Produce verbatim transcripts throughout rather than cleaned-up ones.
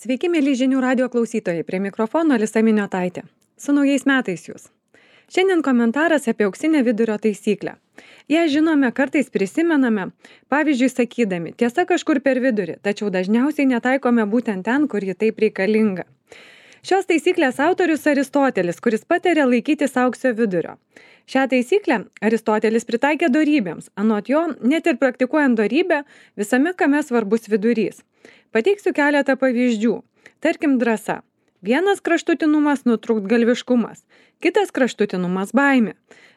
Sveiki, mėly žinių radio klausytojai, prie mikrofono Alisa Miniotaitė. Su naujais metais jūs. Šiandien komentaras apie auksinę vidurio taisyklę. Ją žinome, kartais prisimename, pavyzdžiui, sakydami, tiesa kažkur per vidurį, tačiau dažniausiai netaikome būtent ten, kur ji taip reikalinga. Šios taisyklės autorius Aristotelis, kuris patarė laikytis aukso vidurio. Šią taisyklę Aristotelis pritaikė dorybėms, anot jo, net ir praktikuojant dorybę, visame kame svarbus vidurys. Pateiksiu keletą pavyzdžių. Tarkim, drąsa. Vienas kraštutinumas nutrūktgalviškumas, kitas kraštutinumas baimė.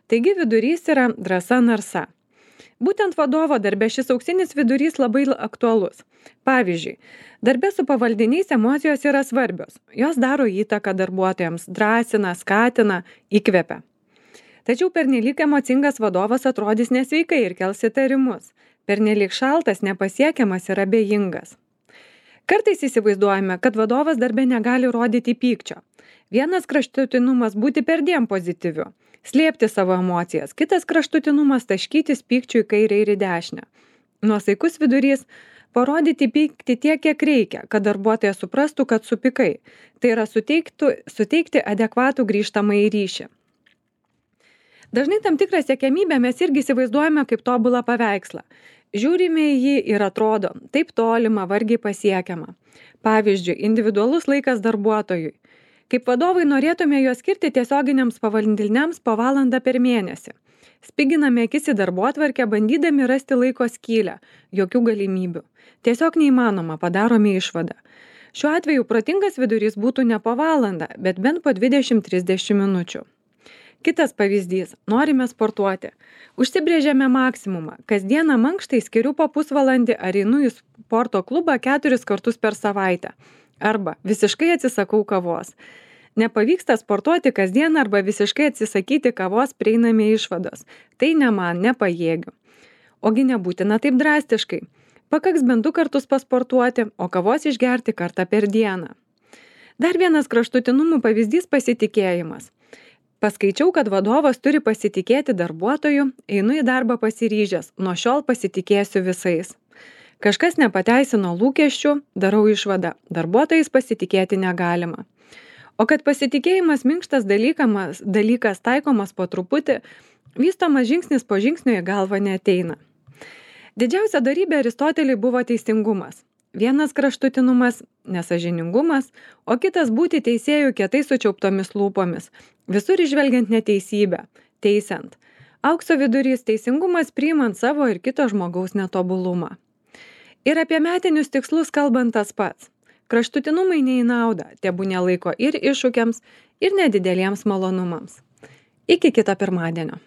Taigi vidurys yra drąsa narsa. Būtent vadovo darbe šis auksinis vidurys labai aktualus. Pavyzdžiui, darbe su pavaldiniais emocijos yra svarbios. Jos daro įtaką darbuotojams, drąsina, skatina, įkvepia. Tačiau pernelyg emocingas vadovas atrodys nesveikai ir kels įtarimus. Pernelyg šaltas, nepasiekiamas ir abejingas. Kartais įsivaizduojame, kad vadovas darbe negali rodyti pykčio. Vienas kraštutinumas būti perdėm pozityviu, slėpti savo emocijas, kitas kraštutinumas taškytis pykčių į kairę ir į dešinę. Nuosaikus vidurys – parodyti pyktį tiek, kiek reikia, kad darbuotojas suprastų, kad supykai. Tai yra suteiktų, suteikti adekvatų grįžtamąjį ryšį. Dažnai tam tikrą siekiamybę mes irgi įsivaizduojame kaip tobulą paveikslą. Žiūrime į jį ir atrodo taip tolima, vargiai pasiekiama. Pavyzdžiui, individualus laikas darbuotojui. Kaip vadovai norėtume juos skirti tiesioginiams pavaldiniams po valandą per mėnesį. Spiginame akis į darbotvarkę, bandydami rasti laiko skylę, jokių galimybių. Tiesiog neįmanoma, padarome išvadą. Šiuo atveju protingas vidurys būtų ne po valandą, bet bent po dvidešimt trisdešimt minučių. Kitas pavyzdys – norime sportuoti. Užsibrėžėme maksimumą. Kasdieną mankštai skiriu po pusvalandį ar einu į sporto klubą keturis kartus per savaitę. Arba visiškai atsisakau kavos. Nepavyksta sportuoti kasdien arba visiškai atsisakyti kavos, prieiname išvados. Tai ne man, nepajėgiu. Ogi nebūtina taip drastiškai. Pakaks bent du kartus pasportuoti, o kavos išgerti kartą per dieną. Dar vienas kraštutinumų pavyzdys – pasitikėjimas. Paskaičiau, kad vadovas turi pasitikėti darbuotoju, einu į darbą pasiryžęs, nuo šiol pasitikėsiu visais. Kažkas nepateisino lūkesčių, darau išvadą, darbuotojais pasitikėti negalima. O kad pasitikėjimas minkštas dalykas, dalykas taikomas po truputį, vystomas žingsnis po žingsnio į galvą neateina. Didžiausia dorybė Aristoteliui buvo teisingumas. Vienas kraštutinumas – nesąžiningumas, o kitas būti teisėjų kietai sučiauptomis lūpomis, visur išvelgiant neteisybę, teisiant. Aukso vidurys – teisingumas priimant savo ir kito žmogaus netobulumą. Ir apie metinius tikslus kalbant tas pats. Kraštutinumai ne į naudą, tebūnie laiko ir iššūkiams, ir nedideliems malonumams. Iki kito pirmadienio.